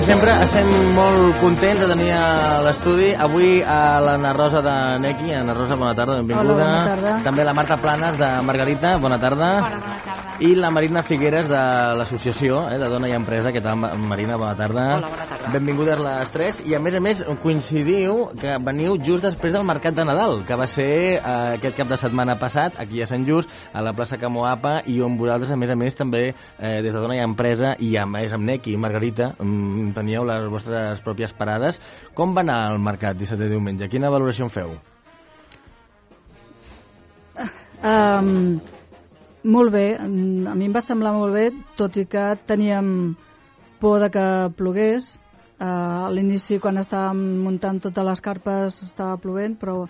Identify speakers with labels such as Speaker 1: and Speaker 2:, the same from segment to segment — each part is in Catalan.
Speaker 1: sempre, estem molt contents de tenir a l'estudi avui a l'Anna Rosa de Neki. Anna Rosa, bona tarda, benvinguda.
Speaker 2: Hola, bona tarda.
Speaker 1: També la Marta Planes de Margarita, bona tarda.
Speaker 3: Hola, bona tarda.
Speaker 1: I la Marina Figueres de l'associació de Dona i Empresa. Què tal, Marina? Bona tarda.
Speaker 3: Hola, bona tarda.
Speaker 1: Benvingudes les tres. I a més coincidiu que veniu just després del Mercat de Nadal, que va ser aquest cap de setmana passat, aquí a Sant Just, a la plaça Camoapa, i on vosaltres, a més també des de Dona i Empresa, i a més amb Neki i Margarita, teníeu les vostres pròpies parades. Com va anar el mercat dissabte i diumenge? Quina valoració en feu?
Speaker 2: Molt bé, a mi em va semblar molt bé, tot i que teníem por de que plogués. A l'inici, quan estàvem muntant totes les carpes, estava plovent, però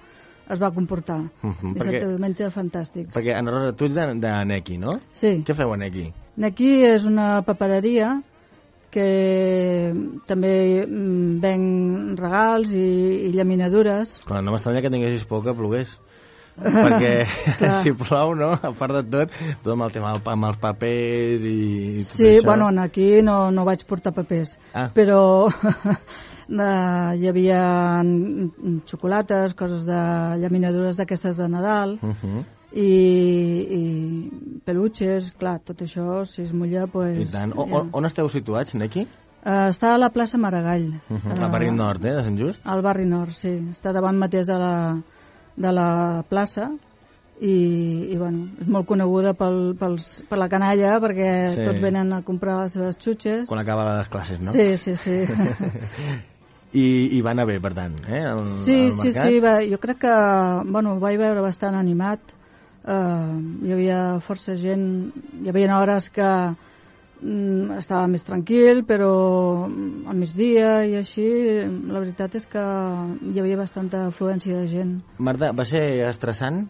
Speaker 2: es va comportar. Dissabte i diumenge, fantàstics.
Speaker 1: Perquè, Anna Rosa, tu ets de Neki, no?
Speaker 2: Sí.
Speaker 1: Què feu a Neki?
Speaker 2: Neki és una papereria que també ven regals i llaminadures.
Speaker 1: Clar, no m'estranya que tinguessis por que plogués. Perquè si plou, no? A part de tot amb el tema amb els papers i tot
Speaker 2: sí,
Speaker 1: això.
Speaker 2: Bueno, aquí no vaig portar papers, però hi havia xocolates, coses de llaminadures d'aquestes de Nadal, i peluches, clar, tot això, si es mulla, pues...
Speaker 1: I tant. On esteu situats, Neki?
Speaker 2: Està a la plaça Maragall.
Speaker 1: Al barri nord, de Sant Just?
Speaker 2: Al barri nord, sí. Està davant mateix de la plaça i bueno, és molt coneguda per la canalla perquè tots venen a comprar les seves xutxes.
Speaker 1: Quan acaba les classes, no?
Speaker 2: Sí.
Speaker 1: I va anar bé, per tant, el mercat?
Speaker 2: Sí, jo crec que ho vaig veure bastant animat. Hi havia força gent, hi havia hores que estava més tranquil, però al migdia i així, la veritat és que hi havia bastanta afluència de gent.
Speaker 1: Marta, va ser estressant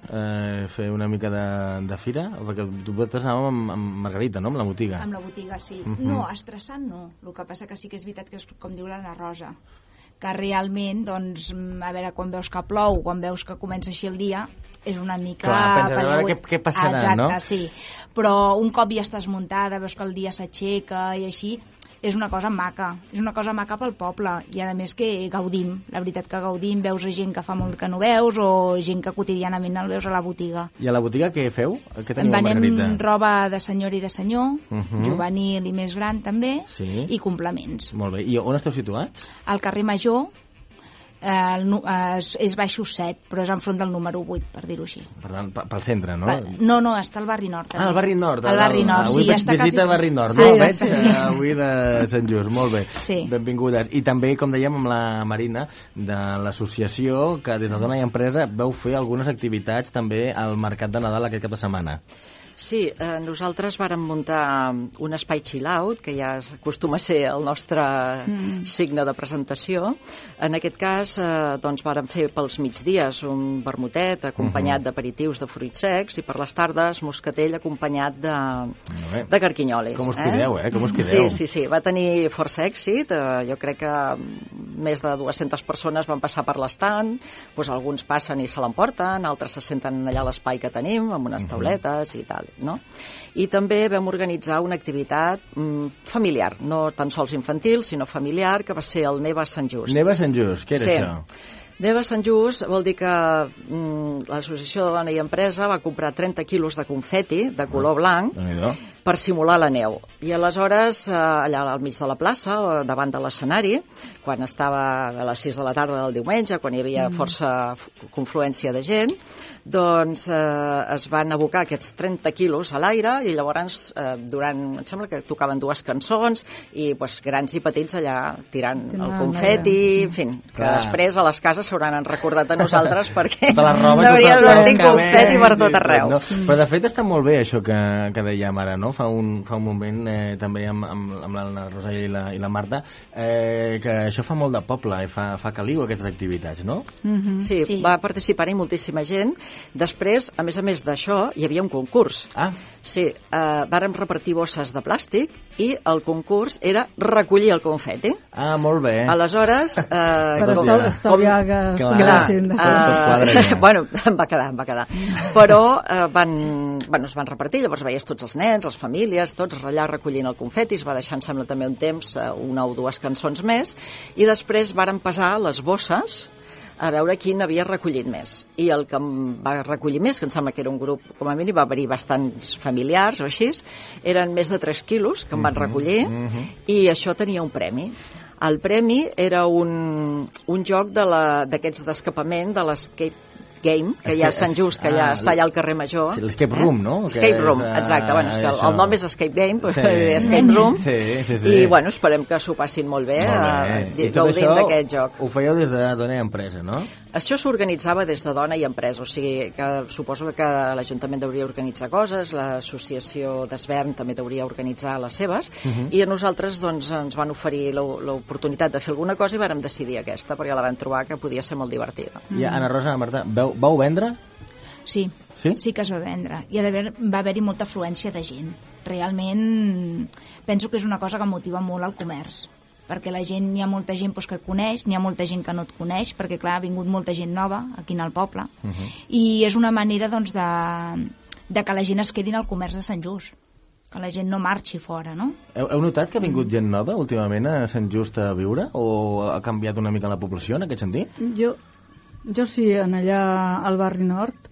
Speaker 1: fer una mica de fira? Perquè vosaltres anàvem amb Margarita, no?, amb la botiga.
Speaker 3: Amb la botiga, sí. No, estressant no. El que passa que sí que és veritat que és com diu l'Anna Rosa, que realment, doncs, a veure, quan veus que plou, quan veus que comença així el dia, és una mica...
Speaker 1: Clar, penses, a veure què passarà,
Speaker 3: exacte,
Speaker 1: no?
Speaker 3: Sí. Però un cop ja estàs muntada, veus que el dia s'aixeca i així, és una cosa maca. És una cosa maca pel poble. I a més que gaudim. La veritat que gaudim, veus gent que fa molt que no veus o gent que quotidianament el veus a la botiga.
Speaker 1: I a la botiga què feu? Què teniu a Margarita?
Speaker 3: Venem roba de senyora i de senyor, juvenil i més gran també, i complements.
Speaker 1: Molt bé. I on esteu situats?
Speaker 3: Al carrer Major, és baixos 7, però és enfront del número 8, per dir-ho així.
Speaker 1: Per tant, pel centre, no?
Speaker 3: No, està al barri nord.
Speaker 1: Al barri nord.
Speaker 3: Al barri nord,
Speaker 1: sí. Avui vaig visita al barri nord,
Speaker 2: no?
Speaker 1: Veig avui de Sant Just, molt bé.
Speaker 3: Sí.
Speaker 1: Benvingudes. I també, com dèiem, amb la Marina, de l'associació, que des de Dona i Empresa veu fer algunes activitats també al Mercat de Nadal aquest cap de setmana.
Speaker 4: Sí, nosaltres vàrem muntar un espai chill-out, que ja acostuma a ser el nostre signe de presentació. En aquest cas, doncs, vàrem fer pels migdies un vermutet acompanyat d'aperitius de fruits secs i per les tardes moscatell acompanyat de carquinyolis.
Speaker 1: Com us cuideu, Com us cuideu.
Speaker 4: Sí, va tenir força èxit. Jo crec que més de 200 persones van passar per l'estand, doncs alguns passen i se l'emporten, altres se senten allà a l'espai que tenim, amb unes tauletes i tal. No? I també vam organitzar una activitat familiar, no tan sols infantil, sinó familiar, que va ser el Neva Sant Just.
Speaker 1: Neva Sant Just, què era això?
Speaker 4: Neva Sant Just vol dir que l'Associació de Dona i Empresa va comprar 30 quilos de confeti de color blanc per simular la neu. I aleshores, allà al mig de la plaça, davant de l'escenari, quan estava a les 6 de la tarda del diumenge, quan hi havia força confluència de gent, doncs es van abocar aquests 30 quilos a l'aire i llavors em sembla que tocaven dues cançons i grans i petits allà tirant el confeti, en fi, que després a les cases s'hauran recordat a nosaltres perquè hauria d'haver confeti per tot arreu.
Speaker 1: Però de fet està molt bé això que dèiem ara, no? Fa un moment també amb la Rosa i la Marta que això fa molt de poble i fa caliu aquestes activitats, no?
Speaker 4: Sí, va participar-hi moltíssima gent. Després, a més d'això, hi havia un concurs. Sí, vàrem repartir bosses de plàstic i el concurs era recollir el confeti.
Speaker 1: Molt bé.
Speaker 4: Aleshores...
Speaker 2: per estalviar que es coneguessin.
Speaker 4: Bueno, em va quedar. Però es van repartir, llavors veies tots els nens, les famílies, famílies, tots allà recollint el confeti, es va deixar, em sembla, també un temps, una o dues cançons més, i després varen pesar les bosses a veure qui n'havia recollit més. I el que em va recollir més, que em sembla que era un grup, com a mínim, va haver-hi bastants familiars o així, eren més de 3 quilos que em van recollir, i això tenia un premi. El premi era un joc d'aquests d'escapament, de l'Escape Game, que hi ha a Sant Just, que ja està allà al carrer Major.
Speaker 1: Sí, l'Escape Room, no?
Speaker 4: Escape Room, exacte. Bueno, és que el nom és Escape Game, però Escape Room. I, bueno, esperem que s'ho passin molt bé gaudint d'aquest joc.
Speaker 1: Ho fèieu des de Dona i Empresa, no?
Speaker 4: Això s'organitzava des de Dona i Empresa, o sigui que suposo que l'Ajuntament hauria organitzar coses, l'associació d'Esvern també hauria organitzar les seves, i a nosaltres doncs, ens van oferir l'oportunitat de fer alguna cosa i vàrem decidir aquesta, perquè la vam trobar que podia ser molt divertida.
Speaker 1: I Ana Rosa, Marta, vau vendre?
Speaker 3: Sí, sí que es va vendre. I va haver-hi molta afluència de gent. Realment penso que és una cosa que motiva molt el comerç, perquè la gent, hi ha molta gent que coneix, n'hi ha molta gent que no et coneix, perquè clar, ha vingut molta gent nova aquí al poble, i és una manera doncs, de que la gent es quedi en el comerç de Sant Just, que la gent no marxi fora, no?
Speaker 1: Heu notat que ha vingut gent nova últimament a Sant Just a viure, o ha canviat una mica la població en aquest sentit?
Speaker 2: Jo sí, en allà al barri nord,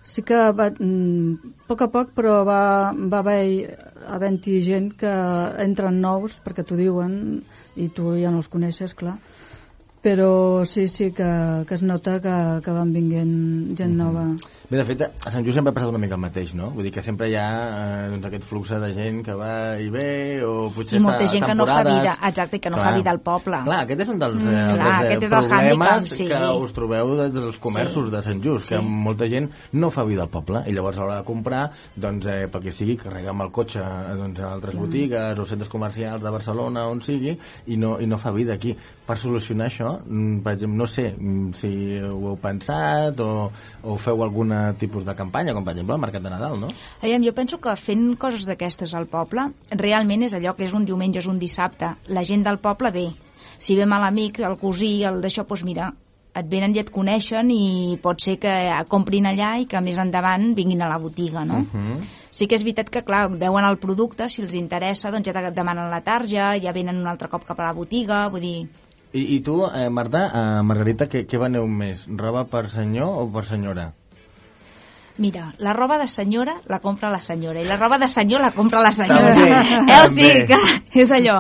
Speaker 2: sí que a poc a poc, però va haver-hi gent que entren nous, perquè t'ho diuen, i tu ja no els coneixes, clar. Però sí que es nota que van vinguent gent nova.
Speaker 1: Bé, de fet, a Sant Just sempre ha passat una mica el mateix, no? Vull dir que sempre hi ha aquest flux de gent que va i ve, o potser
Speaker 3: i molta gent que no fa vida, exacte, que no fa vida al poble.
Speaker 1: Clar, aquest és un dels problemes que us trobeu dels comerços de Sant Just, que molta gent no fa vida al poble, i llavors a l'hora de comprar, doncs, pel que sigui, carrega amb el cotxe a altres botigues o centres comercials de Barcelona, on sigui, i no fa vida aquí. Per solucionar això, per exemple, no sé si ho heu pensat o feu algun tipus de campanya, com per exemple el Mercat de Nadal, no?
Speaker 3: Jo penso que fent coses d'aquestes al poble realment és allò que és un diumenge, és un dissabte, la gent del poble ve, si ve mal amic, el cosí, el d'això, doncs mira, et venen i et coneixen i pot ser que comprin allà i que més endavant vinguin a la botiga, no? Sí que és veritat que, clar, veuen el producte, si els interessa, doncs ja et demanen la tarja, ja venen un altre cop cap a la botiga, vull dir...
Speaker 1: I tu, Marta, Margarita, què veneu més? Roba per senyor o per senyora?
Speaker 3: Mira, la roba de senyora la compra la senyora i la roba de senyor la compra la senyora. O sigui que és allò,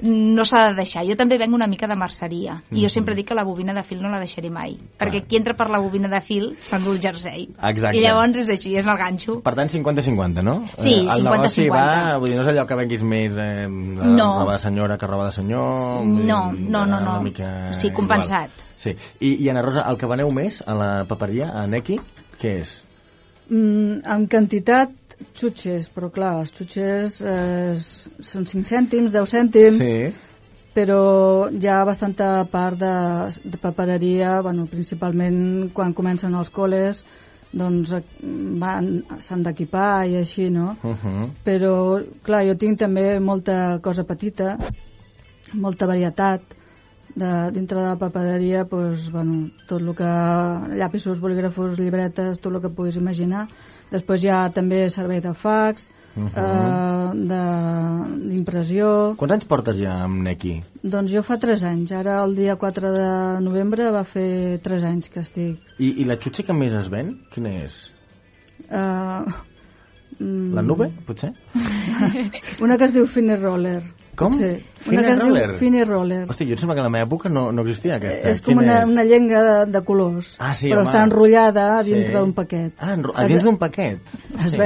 Speaker 3: no s'ha de deixar. Jo també venc una mica de merceria i jo sempre dic que la bobina de fil no la deixaré mai, perquè qui entra per la bobina de fil s'endú el jersei.
Speaker 1: Exacte.
Speaker 3: I llavors és així, és el ganxo.
Speaker 1: Per tant, 50-50, no?
Speaker 3: Sí, 50-50.
Speaker 1: El negoci va, vull dir, no és allò que venguis més roba de senyora que roba de senyor?
Speaker 3: No. Sí, compensat.
Speaker 1: Sí. I Ana Rosa, el que veneu més a la paperia, a Neki, què és?
Speaker 2: En quantitat, xutxes, però clar, els xutxes són 5 cèntims, 10 cèntims, però hi ha bastanta part de papereria, principalment quan comencen els col·les, doncs s'han d'equipar i així, no? Però, clar, jo tinc també molta cosa petita, molta varietat, dintre de la papereria, tot el que llapisos, bolígrafos, llibretes, tot el que puguis imaginar. Després hi ha també servei de fax, d'impressió.
Speaker 1: Quants anys portes ja amb Neki?
Speaker 2: Doncs jo fa 3 anys. Ara el dia 4 de novembre va fer 3 anys que estic.
Speaker 1: I la xutxa que més es ven? Quina és? La nube, potser?
Speaker 2: Una que es diu Fine Roller.
Speaker 1: Com?
Speaker 2: Una que es diu Fine Roller.
Speaker 1: Hosti, jo em sembla que en la meva època no existia aquesta.
Speaker 2: És com una llenga de colors, però està enrotllada dintre d'un paquet.
Speaker 1: Dins d'un paquet?
Speaker 2: Es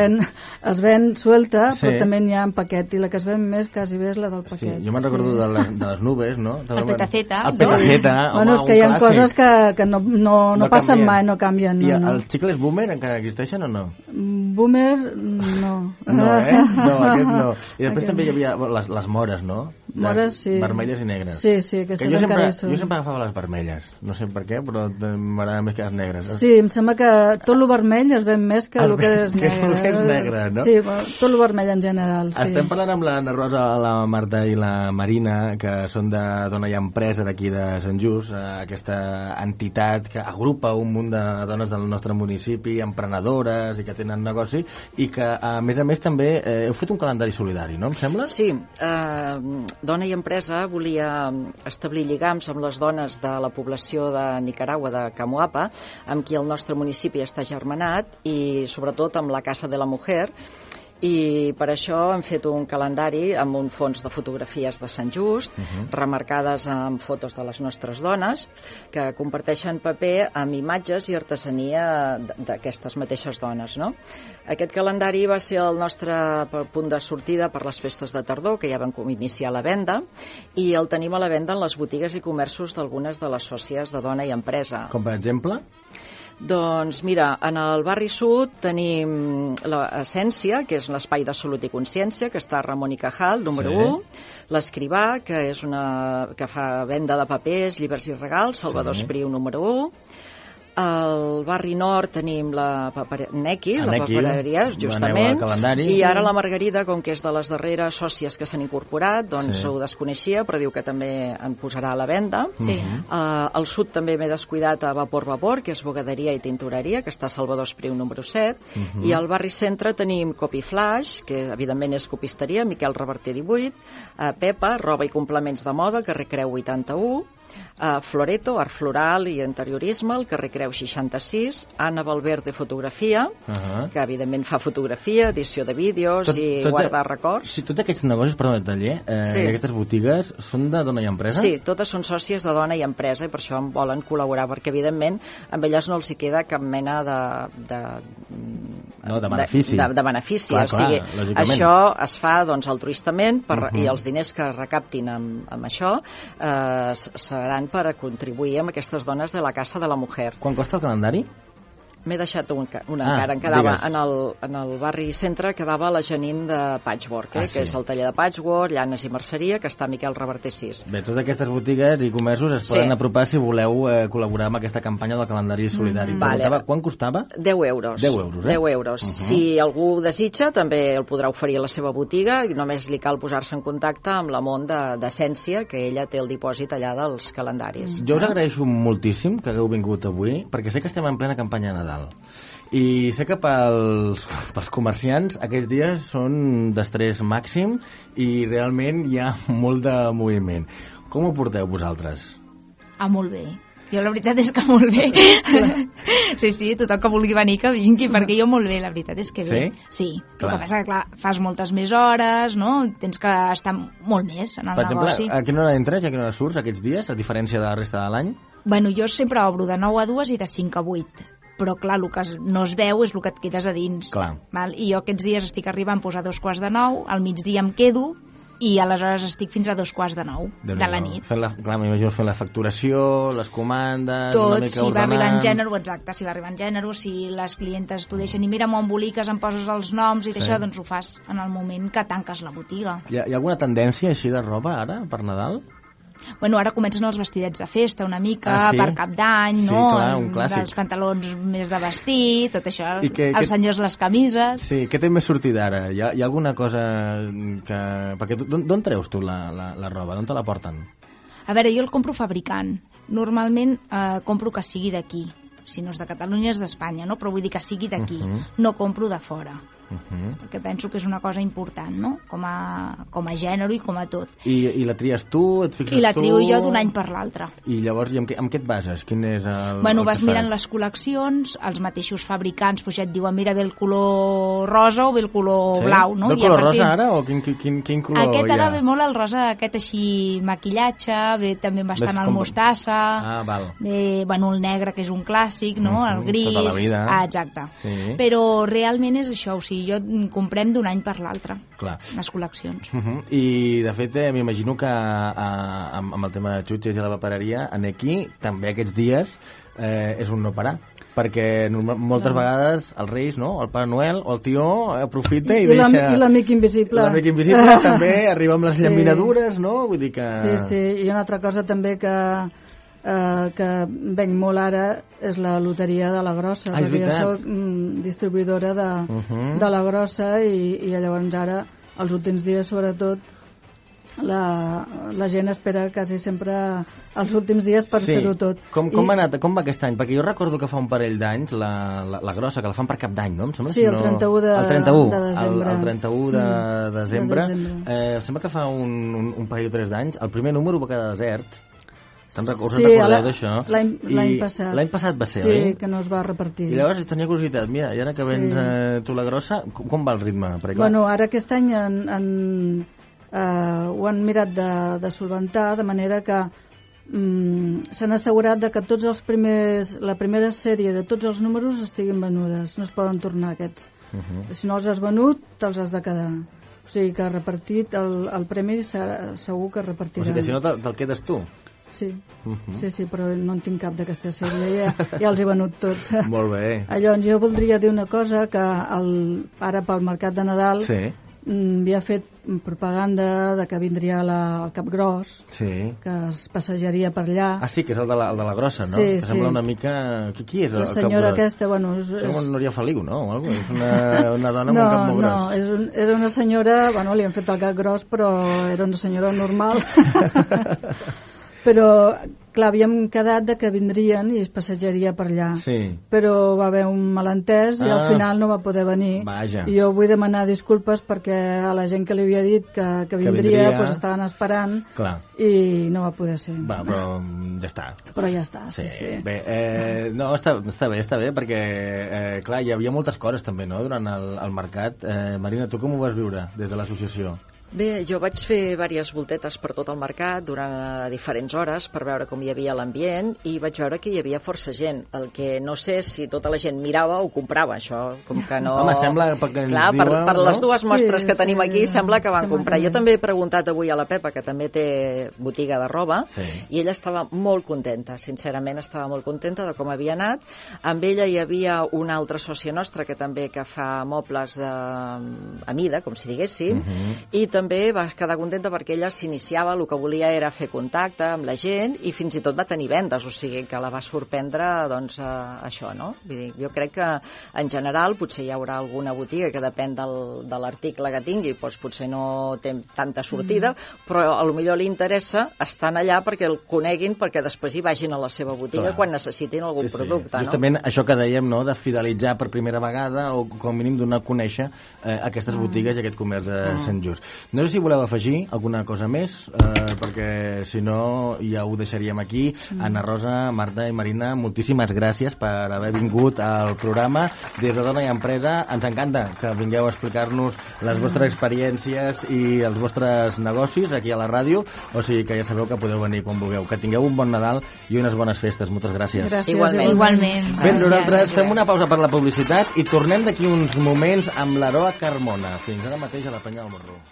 Speaker 2: ven suelta, però també n'hi ha en paquet, i la que es ven més quasi bé és la del paquet.
Speaker 1: Jo me'n recordo de les nubes, no?
Speaker 3: El petaceta.
Speaker 1: El petaceta,
Speaker 2: home, és que hi ha coses que no passen mai, no canvien.
Speaker 1: I els xicles Boomer encara existeixen o no?
Speaker 2: Boomer, no.
Speaker 1: No, no, aquest no. I després també hi havia les mores, no?
Speaker 2: No, números, sí.
Speaker 1: Vermelles i negres.
Speaker 2: Sí, aquestes encara hi són.
Speaker 1: Jo sempre agafava les vermelles, no sé per què, però m'agrada més que les negres.
Speaker 2: Sí, em sembla que tot el vermell es ven més que el que és negre.
Speaker 1: Que és el que és negre, no?
Speaker 2: Sí, tot el vermell en general, sí.
Speaker 1: Estem parlant amb l'Anna Rosa, la Marta i la Marina, que són de Dona i Empresa d'aquí de Sant Just, aquesta entitat que agrupa un munt de dones del nostre municipi, emprenedores i que tenen negoci, i que, a més també, heu fet un calendari solidari, no, em sembla?
Speaker 4: Sí, Dona i Empresa volia establir lligams amb les dones de la població de Nicaragua, de Camoapa, amb qui el nostre municipi està germanat, i sobretot amb la Casa de la Mujer, i per això hem fet un calendari amb un fons de fotografies de Sant Just, remarcades amb fotos de les nostres dones, que comparteixen paper amb imatges i artesania d'aquestes mateixes dones, no? Aquest calendari va ser el nostre punt de sortida per les festes de tardor, que ja vam iniciar la venda, i el tenim a la venda en les botigues i comerços d'algunes de les sòcies de Dona i Empresa.
Speaker 1: Com per exemple?
Speaker 4: Doncs mira, en el barri sud tenim l'Essència, que és l'espai de salut i consciència, que està a Ramon i Cajal, número 1, l'Escrivà, que és que fa venda de papers, llibres i regals, Salvador Espriu, número 1. Al barri nord tenim la Nequi, la papereria, justament, i ara la Margarida, com que és de les darreres sòcies que s'han incorporat, doncs ho desconeixia, però diu que també en posarà a la venda. Al sud també m'he descuidat a Vapor, que és bogaderia i tintoreria, que està a Salvador Espriu, número 7, i al barri centre tenim Copy Flash, que evidentment és copisteria, Miquel Reverter 18, Pepa, roba i complements de moda, carrer Creu 81, Floreto, art floral i interiorisme, al carrer Creu 66, Anna Valverde, fotografia, que evidentment fa fotografia, edició de vídeos i guardar records.
Speaker 1: Sí, tots aquests negocis, perdó, de taller, i aquestes botigues, són de Dona i Empresa?
Speaker 4: Sí, totes són sòcies de Dona i Empresa, i per això em volen col·laborar, perquè evidentment amb elles no els hi queda cap mena de
Speaker 1: benefici.
Speaker 4: De benefici, o sigui, això es fa altruistament, i els diners que recaptin amb això seran per contribuir amb aquestes dones de la Casa de la Mujer.
Speaker 1: Quan costa el calendari?
Speaker 4: M'he deixat una encara, em quedava en el barri centre, quedava la Janine de Patchwork, que és el taller de patchwork, llanes i merceria, que està a Miquel Reverter 6.
Speaker 1: Bé, totes aquestes botigues i comerços es poden apropar si voleu col·laborar amb aquesta campanya del calendari solidari. Quan costava?
Speaker 4: 10 euros.
Speaker 1: 10 euros,
Speaker 4: 10 euros. Si algú desitja, també el podrà oferir a la seva botiga, i només li cal posar-se en contacte amb la Mont d'Essència, que ella té el dipòsit allà dels calendaris.
Speaker 1: Jo us agraeixo moltíssim que hagueu vingut avui, perquè sé que estem en plena campanya de Nadal. I sé que pels comerciants aquests dies són d'estrès màxim i realment hi ha molt de moviment. Com ho porteu vosaltres?
Speaker 3: Molt bé. Jo la veritat és que molt bé. Sí, tothom que vulgui venir que vingui, perquè jo molt bé, la veritat és que bé. Sí? El que passa que, clar, fas moltes més hores, no? Tens que estar molt més en el negoci.
Speaker 1: Per exemple, a quina hora entres i a quina hora surts aquests dies, a diferència de la resta de l'any?
Speaker 3: Bueno, jo sempre obro de 9 a 2 i de 5 a 8. Però, clar, el que no es veu és el que et quedes a dins. Val? I jo aquests dies estic arribant a 2:45, al migdia em quedo, i aleshores estic fins a 2:45 de la nit.
Speaker 1: Clar, m'imagino fent la facturació, les comandes...
Speaker 3: Tot, si va arribant gènere, exacte, si va arribant gènere, si les clientes t'ho deixen i mira, m'ho emboliques, em poses els noms i d'això, doncs ho fas en el moment que tanques la botiga.
Speaker 1: Hi ha alguna tendència així de roba ara, per Nadal?
Speaker 3: Bueno, ara comencen els vestidets de festa una mica, per Cap d'Any, no?
Speaker 1: Sí, clar, un clàssic.
Speaker 3: Els pantalons més de vestir, tot això, els senyors les camises...
Speaker 1: Sí, què té més sortida ara? Hi ha alguna cosa que... Perquè d'on treus tu la roba? D'on te la porten?
Speaker 3: A veure, jo el compro fabricant. Normalment compro que sigui d'aquí. Si no és de Catalunya, és d'Espanya, no? Però vull dir que sigui d'aquí. No compro de fora. Perquè penso que és una cosa important, no? Com a gènere i com a tot.
Speaker 1: I la tries tu? Et fixes tu?
Speaker 3: I la trio jo d'un any per l'altre.
Speaker 1: I llavors, amb què et bases? Quin és el
Speaker 3: Bueno, vas mirant les col·leccions, els mateixos fabricants ja et diuen, mira, ve el color rosa o ve el color blau, no?
Speaker 1: Ve el color rosa ara o quin color
Speaker 3: aquest ara ve molt el rosa, aquest així maquillatge, ve també bastant el mostassa, ve, bueno, el negre, que és un clàssic, no? El gris...
Speaker 1: Tota la vida.
Speaker 3: Exacte. Però realment és això, o sigui, jo comprem d'un any per l'altre les col·leccions.
Speaker 1: I de fet m'imagino que amb el tema de xutxes i la papereria aquí també aquests dies és un no parar. perquè moltes vegades els Reis, no? El Pare Noel o el tió aprofita i deixa...
Speaker 2: I l'amic invisible.
Speaker 1: L'amic invisible també arriba amb les llaminadures, no? Vull dir que...
Speaker 2: Sí, i una altra cosa també que venc molt ara és la loteria de la Grossa, perquè jo soc distribuïdora de la Grossa i llavors ara, els últims dies sobretot, la gent espera quasi sempre els últims dies per fer-ho tot.
Speaker 1: Com ha anat? Com va aquest any? Perquè jo recordo que fa un parell d'anys la Grossa, que la fan per Cap d'Any, no? Em sembla,
Speaker 2: sí, el 31 de desembre.
Speaker 1: El 31 de desembre. Em sembla que fa un parell o 3 d'anys. El primer número va quedar desert. Us en recordeu d'això?
Speaker 2: L'any passat.
Speaker 1: L'any passat va ser,
Speaker 2: oi?
Speaker 1: Sí,
Speaker 2: que no es va repartir.
Speaker 1: I llavors tenia curiositat. Mira, i ara que vens tu la Grossa, com va el ritme?
Speaker 2: Bueno, ara aquest any ho han mirat de solventar, de manera que s'han assegurat de que tots els la primera sèrie de tots els números estiguin venudes, no es poden tornar aquests. Si no els has venut, te'ls has de quedar. O sigui que repartit el premi segur que repartirà.
Speaker 1: O sigui que si no te'l quedes tu?
Speaker 2: Sí, sí, però no en tinc cap d'aquesta sèrie, ja els he venut tots.
Speaker 1: Molt bé.
Speaker 2: Llavors jo voldria dir una cosa, que ara pel Mercat de Nadal havia fet propaganda de que vindria el Capgròs, que es passejaria per allà.
Speaker 1: Ah, sí, que és el de la Grossa, no?
Speaker 2: Sí,
Speaker 1: que sembla una mica... Qui és el Capgròs?
Speaker 2: La senyora aquesta, bueno...
Speaker 1: Sembla Núria Feliu, no? És una dona amb un cap molt gros.
Speaker 2: No, era una senyora... Bueno, li han fet el cap gros, però era una senyora normal. Però, clar, havíem quedat de que vindrien i es passejaria per allà.
Speaker 1: Sí.
Speaker 2: Però va haver un malentès i al final no va poder venir.
Speaker 1: Vaja.
Speaker 2: I jo vull demanar disculpes perquè a la gent que li havia dit que vindria, pues estaven esperant.
Speaker 1: Clar.
Speaker 2: I no va poder ser.
Speaker 1: Va, però ja està.
Speaker 2: Però ja està, sí.
Speaker 1: Bé, no, està bé, perquè, clar, hi havia moltes coses també, no?, durant el mercat. Marina, tu com ho vas viure des de l'associació?
Speaker 4: Bé, jo vaig fer diverses voltetes per tot el mercat durant diferents hores per veure com hi havia l'ambient i vaig veure que hi havia força gent. El que no sé si tota la gent mirava o comprava, això, com que no...
Speaker 1: Home, sembla perquè ens
Speaker 4: clar,
Speaker 1: diuen...
Speaker 4: per les dues mostres que tenim aquí sembla que van comprar. Jo també he preguntat avui a la Pepa, que també té botiga de roba, i ella estava molt contenta, sincerament estava molt contenta de com havia anat. Amb ella hi havia una altra sòcia nostra que també que fa mobles a mida, com si diguéssim, i també va quedar contenta perquè ella s'iniciava, el que volia era fer contacte amb la gent i fins i tot va tenir vendes, o sigui que la va sorprendre doncs això, no? Vull dir, jo crec que en general potser hi haurà alguna botiga que depèn de l'article que tingui, doncs potser no té tanta sortida, però a lo millor li interessa estar allà perquè el coneguin, perquè després hi vagin a la seva botiga quan necessitin algun producte, no?
Speaker 1: Justament això que dèiem, no?, de fidelitzar per primera vegada o com a mínim donar a conèixer aquestes botigues i aquest comerç de Sant Just. No sé si voleu afegir alguna cosa més, perquè si no ja ho deixaríem aquí. Anna Rosa, Marta i Marina, moltíssimes gràcies per haver vingut al programa. Des de Dona i Empresa ens encanta que vingueu a explicar-nos les vostres experiències i els vostres negocis aquí a la ràdio, o sigui que ja sabeu que podeu venir quan vulgueu. Que tingueu un bon Nadal i unes bones festes. Moltes gràcies.
Speaker 3: Igualment.
Speaker 1: Bé, nosaltres fem una pausa per la publicitat i tornem d'aquí uns moments amb l'Aroa Carmona. Fins ara mateix a la Penya del Morro.